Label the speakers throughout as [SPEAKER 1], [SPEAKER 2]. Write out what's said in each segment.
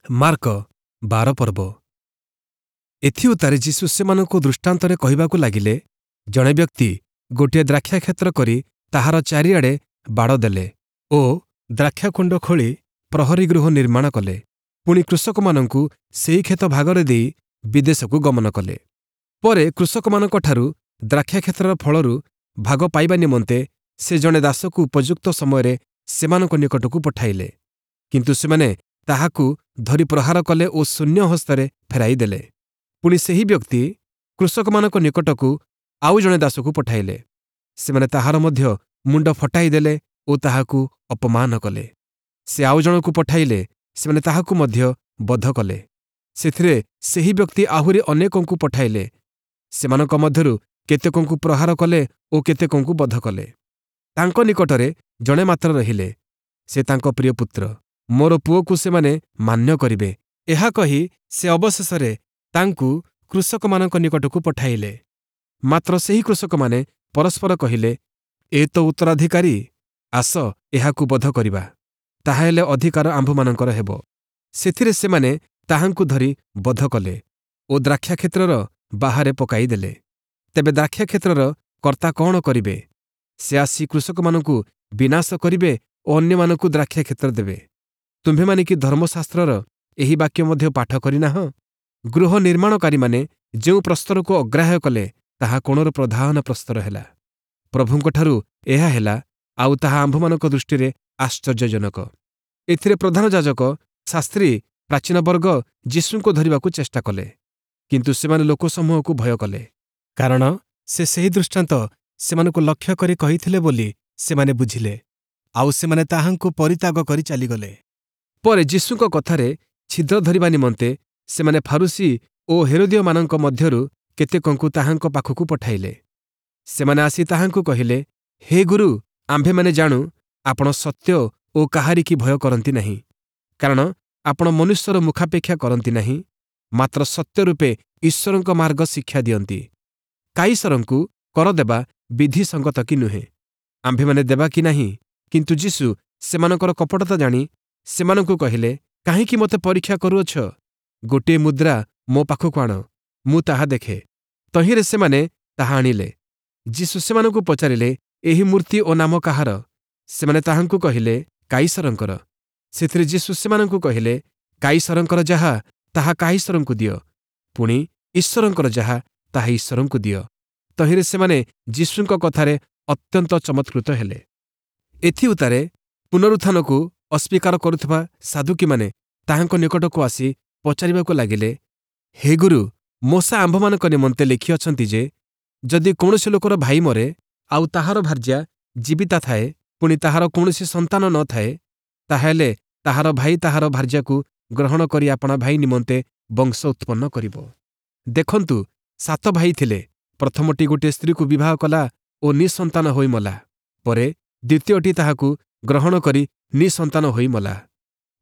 [SPEAKER 1] Mark 12 ପର୍ବ। ଏଥିଉତ୍ତାରେ ଯୀଶୁ ସେମାନଙ୍କୁ ଦୃଷ୍ଟାନ୍ତରେ କହିବାକୁ ଲାଗିଲେ, ଜଣେ ବ୍ୟକ୍ତି ଗୋଟିଏ ଦ୍ରାକ୍ଷାକ୍ଷେତ୍ର କରି ତାହାର ଚାରିଆଡ଼େ ବାଡ଼ ଦେଲେ ଓ ଦ୍ରାକ୍ଷାକୁଣ୍ଡ ଖୋଳି ପ୍ରହରୀ ଗୃହ ନିର୍ମାଣ କଲେ। ପୁଣି କୃଷକମାନଙ୍କୁ ସେହି କ୍ଷେତ ଭାଗରେ ଦେଇ ବିଦେଶକୁ ଗମନ କଲେ। ପରେ କୃଷକମାନଙ୍କଠାରୁ ଦ୍ରାକ୍ଷାକ୍ଷେତ୍ରର ଫଳରୁ ଭାଗ ପାଇବା ନିମନ୍ତେ ସେ ଜଣେ ଦାସକୁ ଉପଯୁକ୍ତ ସମୟରେ ସେମାନଙ୍କ ନିକଟକୁ ପଠାଇଲେ। କିନ୍ତୁ ସେମାନେ ତାହାକୁ ଧରି ପ୍ରହାର କଲେ ଓ ଶୂନ୍ୟ ହସ୍ତରେ ଫେରାଇ ଦେଲେ। ପୁଣି ସେହି ବ୍ୟକ୍ତି କୃଷକମାନଙ୍କ ନିକଟକୁ ଆଉ ଜଣେ ଦାସକୁ ପଠାଇଲେ। ସେମାନେ ତାହାର ମଧ୍ୟ ମୁଣ୍ଡ ଫଟାଇ ଦେଲେ ଓ ତାହାକୁ ଅପମାନ କଲେ। ସେ ଆଉ ଜଣକୁ ପଠାଇଲେ, ସେମାନେ ତାହାକୁ ମଧ୍ୟ ବଧ କଲେ। ସେଥିରେ ସେହି ବ୍ୟକ୍ତି ଆହୁରି ଅନେକଙ୍କୁ ପଠାଇଲେ। ସେମାନଙ୍କ ମଧ୍ୟରୁ କେତେକଙ୍କୁ ପ୍ରହାର କଲେ ଓ କେତେକଙ୍କୁ ବଧ କଲେ। ତାଙ୍କ ନିକଟରେ ଜଣେ ମାତ୍ର ରହିଲେ, ସେ ତାଙ୍କ ପ୍ରିୟ ପୁତ୍ର। ମୋର ପୁଅକୁ ସେମାନେ ମାନ୍ୟ କରିବେ, ଏହା କହି ସେ ଅବଶେଷରେ ତାଙ୍କୁ କୃଷକମାନଙ୍କ ନିକଟକୁ ପଠାଇଲେ। ମାତ୍ର ସେହି କୃଷକମାନେ ପରସ୍ପର କହିଲେ, ଏ ତ ଉତ୍ତରାଧିକାରୀ, ଆସ ଏହାକୁ ବଧ କରିବା, ତାହାହେଲେ ଅଧିକାର ଆମ୍ଭମାନଙ୍କର ହେବ। ସେଥିରେ ସେମାନେ ତାହାଙ୍କୁ ଧରି ବଧ କଲେ ଓ ଦ୍ରାକ୍ଷାକ୍ଷେତ୍ରର ବାହାରେ ପକାଇଦେଲେ। ତେବେ ଦ୍ରାକ୍ଷାକ୍ଷେତ୍ରର କର୍ତ୍ତା କ'ଣ କରିବେ? ସେ ଆସି କୃଷକମାନଙ୍କୁ ବିନାଶ କରିବେ ଓ ଅନ୍ୟମାନଙ୍କୁ ଦ୍ରାକ୍ଷାକ୍ଷେତ୍ର ଦେବେ। ତୁମ୍ଭେମାନେ କି ଧର୍ମଶାସ୍ତ୍ରର ଏହି ବାକ୍ୟ ମଧ୍ୟ ପାଠ କରିନାହଁ? ଗୃହ ନିର୍ମାଣକାରୀମାନେ ଯେଉଁ ପ୍ରସ୍ତରକୁ ଅଗ୍ରାହ୍ୟ କଲେ, ତାହା କୋଣର ପ୍ରଧାନ ପ୍ରସ୍ତର ହେଲା। ପ୍ରଭୁଙ୍କଠାରୁ ଏହା ହେଲା, ଆଉ ତାହା ଆମ୍ଭମାନଙ୍କ ଦୃଷ୍ଟିରେ ଆଶ୍ଚର୍ଯ୍ୟଜନକ। ଏଥିରେ ପ୍ରଧାନ ଯାଜକ, ଶାସ୍ତ୍ରୀ, ପ୍ରାଚୀନବର୍ଗ ଯୀଶୁଙ୍କୁ ଧରିବାକୁ ଚେଷ୍ଟା କଲେ, କିନ୍ତୁ ସେମାନେ ଲୋକସମୂହକୁ ଭୟ କଲେ, କାରଣ ସେ ସେହି ଦୃଷ୍ଟାନ୍ତ ସେମାନଙ୍କୁ ଲକ୍ଷ୍ୟ କରି କହିଥିଲେ ବୋଲି ସେମାନେ ବୁଝିଲେ। ଆଉ ସେମାନେ ତାହାଙ୍କୁ ପରିତ୍ୟାଗ କରି ଚାଲିଗଲେ। ପରେ ଯୀଶୁଙ୍କ କଥାରେ ଛିଦ୍ର ଧରିବା ନିମନ୍ତେ ସେମାନେ ଫାରୂଶୀ ଓ ହେରୋଦୀୟମାନଙ୍କ ମଧ୍ୟରୁ କେତେକଙ୍କୁ ତାହାଙ୍କ ପାଖକୁ ପଠାଇଲେ। ସେମାନେ ଆସି ତାହାଙ୍କୁ କହିଲେ, ହେ ଗୁରୁ, ଆମ୍ଭେମାନେ ଜାଣୁ ଆପଣ ସତ୍ୟ ଓ କାହାରିକି ଭୟ କରନ୍ତି ନାହିଁ, କାରଣ ଆପଣ ମନୁଷ୍ୟର ମୁଖାପେକ୍ଷା କରନ୍ତି ନାହିଁ, ମାତ୍ର ସତ୍ୟ ରୂପେ ଈଶ୍ୱରଙ୍କ ମାର୍ଗ ଶିକ୍ଷା ଦିଅନ୍ତି। କାଇସରଙ୍କୁ କର ଦେବା ବିଧିସଙ୍ଗତ କି ନୁହେଁ? ଆମ୍ଭେମାନେ ଦେବା କି ନାହିଁ? କିନ୍ତୁ ଯୀଶୁ ସେମାନଙ୍କର କପଟତା ଜାଣି ସେମାନଙ୍କୁ କହିଲେ, କାହିଁକି ମୋତେ ପରୀକ୍ଷା କରୁଅଛ? ଗୋଟିଏ ମୁଦ୍ରା ମୋ ପାଖକୁ ଆଣ, ମୁଁ ତାହା ଦେଖେ। ତହିଁରେ ସେମାନେ ତାହା ଆଣିଲେ। ଯୀଶୁ ସେମାନଙ୍କୁ ପଚାରିଲେ, ଏହି ମୂର୍ତ୍ତି ଓ ନାମ କାହାର? ସେମାନେ ତାହାଙ୍କୁ କହିଲେ, କାଇସରଙ୍କର। ସେଥିରେ ଯୀଶୁ ସେମାନଙ୍କୁ କହିଲେ, କାଇସରଙ୍କର ଯାହା ତାହା କାଇସରଙ୍କୁ ଦିଅ, ପୁଣି ଈଶ୍ୱରଙ୍କର ଯାହା ତାହା ଈଶ୍ୱରଙ୍କୁ ଦିଅ। ତହିଁରେ ସେମାନେ ଯୀଶୁଙ୍କ କଥାରେ ଅତ୍ୟନ୍ତ ଚମତ୍କୃତ ହେଲେ। ଏଥିଉତ୍ତାରେ ପୁନରୁତ୍ଥାନକୁ ଅସ୍ୱୀକାର କରୁଥିବା ସାଦୁକୀମାନେ ତାହାଙ୍କ ନିକଟକୁ ଆସି ପଚାରିବାକୁ ଲାଗିଲେ, ହେ ଗୁରୁ, ମୋଶା ଆମ୍ଭମାନଙ୍କ ନିମନ୍ତେ ଲେଖିଅଛନ୍ତି ଯେ, ଯଦି କୌଣସି ଲୋକର ଭାଇ ମରେ, ଆଉ ତାହାର ଭାର୍ଯ୍ୟା ଜୀବିତା ଥାଏ, ପୁଣି ତାହାର କୌଣସି ସନ୍ତାନ ନ ଥାଏ, ତାହାହେଲେ ତାହାର ଭାଇ ତାହାର ଭାର୍ଯ୍ୟାକୁ ଗ୍ରହଣ କରି ଆପଣା ଭାଇ ନିମନ୍ତେ ବଂଶ ଉତ୍ପନ୍ନ କରିବ। ଦେଖନ୍ତୁ, 7 ଭାଇ ଥିଲେ। ପ୍ରଥମଟି ଗୋଟିଏ ସ୍ତ୍ରୀକୁ ବିବାହ କଲା ଓ ନିଃସନ୍ତାନ ହୋଇ ମଲା। ପରେ ଦ୍ୱିତୀୟଟି ତାହାକୁ ଗ୍ରହଣ କରି ନିଃସନ୍ତାନ ହୋଇ ମଲା।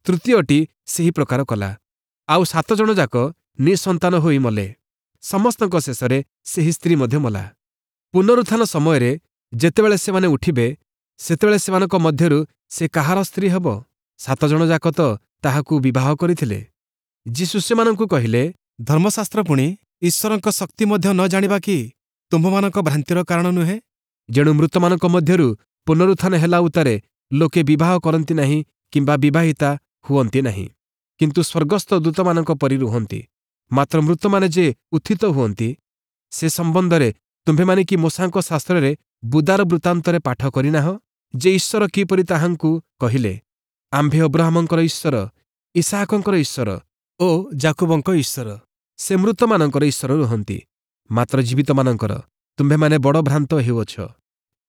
[SPEAKER 1] ତୃତୀୟଟି ସେହି ପ୍ରକାର କଲା। ଆଉ 7 ଜଣ ଯାକ ନିଃସନ୍ତାନ ହୋଇ ମଲେ। ସମସ୍ତଙ୍କ ଶେଷରେ ସେହି ସ୍ତ୍ରୀ ମଧ୍ୟ ମଲା। ପୁନରୁତ୍ଥାନ ସମୟରେ ଯେତେବେଳେ ସେମାନେ ଉଠିବେ, ସେତେବେଳେ ସେମାନଙ୍କ ମଧ୍ୟରୁ ସେ କାହାର ସ୍ତ୍ରୀ ହେବ? 7 ଜଣ ଯାକ ତ ତାହାକୁ ବିବାହ କରିଥିଲେ। ଯୀଶୁ ସେମାନଙ୍କୁ କହିଲେ,
[SPEAKER 2] ଧର୍ମଶାସ୍ତ୍ର ପୁଣି ଈଶ୍ୱରଙ୍କ ଶକ୍ତି ମଧ୍ୟ ନ ଜାଣିବା କି ତୁମ୍ଭମାନଙ୍କ ଭ୍ରାନ୍ତିର କାରଣ ନୁହେଁ?
[SPEAKER 1] ଯେଣୁ ମୃତମାନଙ୍କ ମଧ୍ୟରୁ ପୁନରୁତ୍ଥାନ ହେଲା ଉତ୍ତାରେ ଲୋକେ ବିବାହ କରନ୍ତି ନାହିଁ କିମ୍ବା ବିବାହିତା ହୁଅନ୍ତି ନାହିଁ, କିନ୍ତୁ ସ୍ୱର୍ଗସ୍ଥ ଦୂତମାନଙ୍କ ପରି ରୁହନ୍ତି। ମାତ୍ର ମୃତମାନେ ଯେ ଉତ୍ଥିତ ହୁଅନ୍ତି, ସେ ସମ୍ବନ୍ଧରେ ତୁମ୍ଭେମାନେ କି ମୋଶାଙ୍କ ଶାସ୍ତ୍ରରେ ବୁଦାର ବୃତ୍ତାନ୍ତରେ ପାଠ କରିନାହଁ ଯେ ଈଶ୍ୱର କିପରି ତାହାଙ୍କୁ କହିଲେ, ଆମ୍ଭେ ଅବ୍ରାହମଙ୍କର ଈଶ୍ୱର, ଇସାହାକଙ୍କର ଈଶ୍ୱର ଓ
[SPEAKER 2] ଯାକୁବଙ୍କ ଈଶ୍ୱର।
[SPEAKER 1] ସେ ମୃତମାନଙ୍କର ଈଶ୍ୱର ରୁହନ୍ତି, ମାତ୍ର ଜୀବିତମାନଙ୍କର। ତୁମ୍ଭେମାନେ ବଡ଼ ଭ୍ରାନ୍ତ ହେଉଅଛ।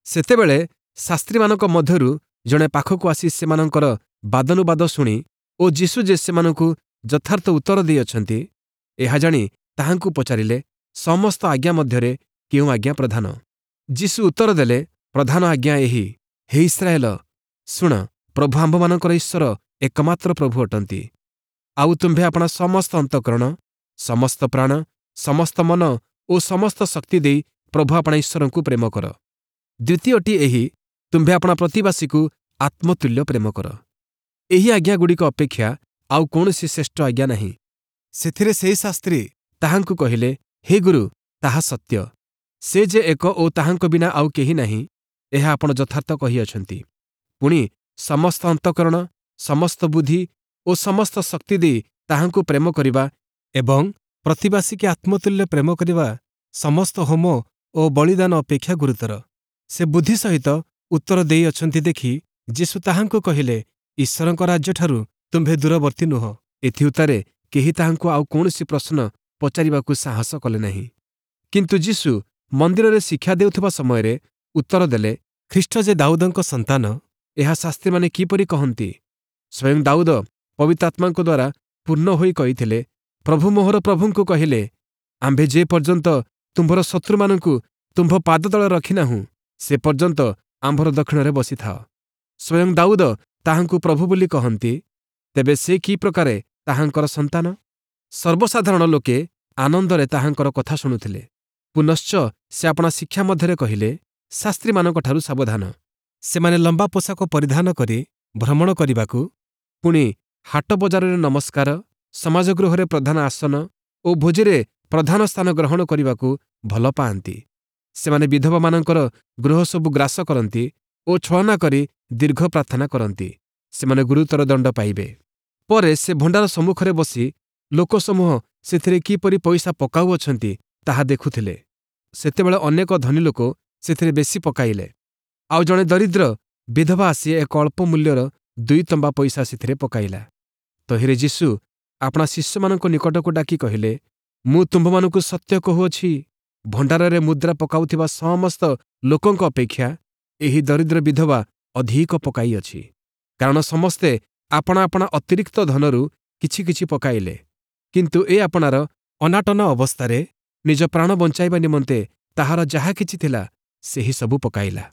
[SPEAKER 1] ସେତେବେଳେ ଶାସ୍ତ୍ରୀମାନଙ୍କ ମଧ୍ୟରୁ ଜଣେ ପାଖକୁ ଆସି ସେମାନଙ୍କର ବାଦାନୁବାଦ ଶୁଣି ଓ ଯୀଶୁ ଯେ ସେମାନଙ୍କୁ ଯଥାର୍ଥ ଉତ୍ତର ଦେଇଅଛନ୍ତି, ଏହା ଜାଣି ତାହାଙ୍କୁ ପଚାରିଲେ, ସମସ୍ତ ଆଜ୍ଞା ମଧ୍ୟରେ କେଉଁ ଆଜ୍ଞା ପ୍ରଧାନ? ଯୀଶୁ ଉତ୍ତର ଦେଲେ, ପ୍ରଧାନ ଆଜ୍ଞା ଏହି, ହେ ଇସ୍ରାଏଲ, ଶୁଣ, ପ୍ରଭୁ ଆମ୍ଭମାନଙ୍କର ଈଶ୍ୱର ଏକମାତ୍ର ପ୍ରଭୁ ଅଟନ୍ତି। ଆଉ ତୁମ୍ଭେ ଆପଣା ସମସ୍ତ ଅନ୍ତଃକରଣ, ସମସ୍ତ ପ୍ରାଣ, ସମସ୍ତ ମନ ଓ ସମସ୍ତ ଶକ୍ତି ଦେଇ ପ୍ରଭୁ ଆପଣା ଈଶ୍ୱରଙ୍କୁ ପ୍ରେମ କର। ଦ୍ୱିତୀୟଟି ଏହି, ତୁମ୍ଭେ ଆପଣା ପ୍ରତିବାସୀକୁ ଆତ୍ମତୁଲ୍ୟ ପ୍ରେମ କର। ଏହି ଆଜ୍ଞାଗୁଡ଼ିକ ଅପେକ୍ଷା ଆଉ କୌଣସି ଶ୍ରେଷ୍ଠ ଆଜ୍ଞା ନାହିଁ।
[SPEAKER 2] ସେଥିରେ ସେହି ଶାସ୍ତ୍ରୀ
[SPEAKER 1] ତାହାଙ୍କୁ କହିଲେ, ହେ ଗୁରୁ, ତାହା ସତ୍ୟ। ସେ ଯେ ଏକ ଓ ତାହାଙ୍କ ବିନା ଆଉ କେହି ନାହିଁ, ଏହା ଆପଣ ଯଥାର୍ଥ କହିଅଛନ୍ତି। ପୁଣି ସମସ୍ତ ଅନ୍ତଃକରଣ, ସମସ୍ତ ବୁଦ୍ଧି ଓ ସମସ୍ତ ଶକ୍ତି ଦେଇ ତାହାଙ୍କୁ ପ୍ରେମ କରିବା
[SPEAKER 2] ଏବଂ ପ୍ରତିବାସୀକି ଆତ୍ମତୁଲ୍ୟ ପ୍ରେମ କରିବା ସମସ୍ତ ହୋମ ଓ ବଳିଦାନ ଅପେକ୍ଷା ଗୁରୁତର। ସେ ବୁଦ୍ଧି ସହିତ ଉତ୍ତର ଦେଇଅଛନ୍ତି ଦେଖି ଯୀଶୁ ତାହାଙ୍କୁ କହିଲେ, ଈଶ୍ୱରଙ୍କ ରାଜ୍ୟଠାରୁ ତୁମ୍ଭେ ଦୂରବର୍ତ୍ତୀ ନୁହଁ।
[SPEAKER 1] ଏଥିଉତ୍ତାରେ କେହି ତାହାଙ୍କୁ ଆଉ କୌଣସି ପ୍ରଶ୍ନ ପଚାରିବାକୁ ସାହସ କଲେ ନାହିଁ। କିନ୍ତୁ ଯୀଶୁ ମନ୍ଦିରରେ ଶିକ୍ଷା ଦେଉଥିବା ସମୟରେ ଉତ୍ତର ଦେଲେ,
[SPEAKER 2] ଖ୍ରୀଷ୍ଟ ଯେ ଦାଉଦଙ୍କ ସନ୍ତାନ,
[SPEAKER 1] ଏହା ଶାସ୍ତ୍ରୀମାନେ କିପରି କହନ୍ତି? ସ୍ୱୟଂ ଦାଉଦ ପବିତ୍ରାତ୍ମାଙ୍କ ଦ୍ୱାରା ପୂର୍ଣ୍ଣ ହୋଇ କହିଥିଲେ, ପ୍ରଭୁ ମୋହର ପ୍ରଭୁଙ୍କୁ କହିଲେ, ଆମ୍ଭେ ଯେ ପର୍ଯ୍ୟନ୍ତ ତୁମ୍ଭର ଶତ୍ରୁମାନଙ୍କୁ ତୁମ୍ଭ ପାଦତଳେ ରଖିନାହୁଁ, ସେ ପର୍ଯ୍ୟନ୍ତ ଆମ୍ଭର ଦକ୍ଷିଣରେ ବସିଥାଅ। ସ୍ୱୟଂ ଦାଉଦ ତାହାଙ୍କୁ ପ୍ରଭୁ ବୋଲି କହନ୍ତି, ତେବେ ସେ କି ପ୍ରକାରେ ତାହାଙ୍କର ସନ୍ତାନ? ସର୍ବସାଧାରଣ ଲୋକେ ଆନନ୍ଦରେ ତାହାଙ୍କର କଥା ଶୁଣୁଥିଲେ। ପୁନଶ୍ଚ ସେ ଆପଣା ଶିକ୍ଷା ମଧ୍ୟରେ କହିଲେ, ଶାସ୍ତ୍ରୀମାନଙ୍କଠାରୁ ସାବଧାନ।
[SPEAKER 2] ସେମାନେ ଲମ୍ବା ପୋଷାକ ପରିଧାନ କରି ଭ୍ରମଣ କରିବାକୁ
[SPEAKER 1] ପୁଣି ହାଟ ବଜାରରେ ନମସ୍କାର, ସମାଜଗୃହରେ ପ୍ରଧାନ ଆସନ ଓ ଭୋଜିରେ ପ୍ରଧାନ ସ୍ଥାନ ଗ୍ରହଣ କରିବାକୁ ଭଲ ପାଆନ୍ତି। ସେମାନେ ବିଧବାମାନଙ୍କର ଗୃହସବୁ ଗ୍ରାସ କରନ୍ତି ଓ ଛଳନା କରି ଦୀର୍ଘ ପ୍ରାର୍ଥନା କରନ୍ତି। ସେମାନେ ଗୁରୁତର ଦଣ୍ଡ ପାଇବେ। ପରେ ସେ ଭଣ୍ଡାର ସମ୍ମୁଖରେ ବସି ଲୋକସମୂହ ସେଥିରେ କିପରି ପଇସା ପକାଉଅଛନ୍ତି, ତାହା ଦେଖୁଥିଲେ। ସେତେବେଳେ ଅନେକ ଧନୀ ଲୋକ ସେଥିରେ ବେଶୀ ପକାଇଲେ। ଆଉ ଜଣେ ଦରିଦ୍ର ବିଧବା ଆସି ଏକ ଅଳ୍ପ ମୂଲ୍ୟର 2 ତମ୍ବା ପଇସା ସେଥିରେ ପକାଇଲା। ତହିଁରେ ଯୀଶୁ ଆପଣା ଶିଷ୍ୟମାନଙ୍କ ନିକଟକୁ ଡାକି କହିଲେ, ମୁଁ ତୁମ୍ଭମାନଙ୍କୁ ସତ୍ୟ କହୁଅଛି, ଭଣ୍ଡାରରେ ମୁଦ୍ରା ପକାଉଥିବା ସମସ୍ତ ଲୋକଙ୍କ ଅପେକ୍ଷା ଏହି ଦରିଦ୍ର ବିଧବା ଅଧିକ ପକାଇଅଛି। କାରଣ ସମସ୍ତେ ଆପଣା ଆପଣା ଅତିରିକ୍ତ ଧନରୁ କିଛି କିଛି ପକାଇଲେ, କିନ୍ତୁ ଏ ଆପଣାର
[SPEAKER 2] ଅନାଟନ ଅବସ୍ଥାରେ
[SPEAKER 1] ନିଜ ପ୍ରାଣ ବଞ୍ଚାଇବା ନିମନ୍ତେ ତାହାର ଯାହା କିଛି ଥିଲା, ସେହି ସବୁ ପକାଇଲା।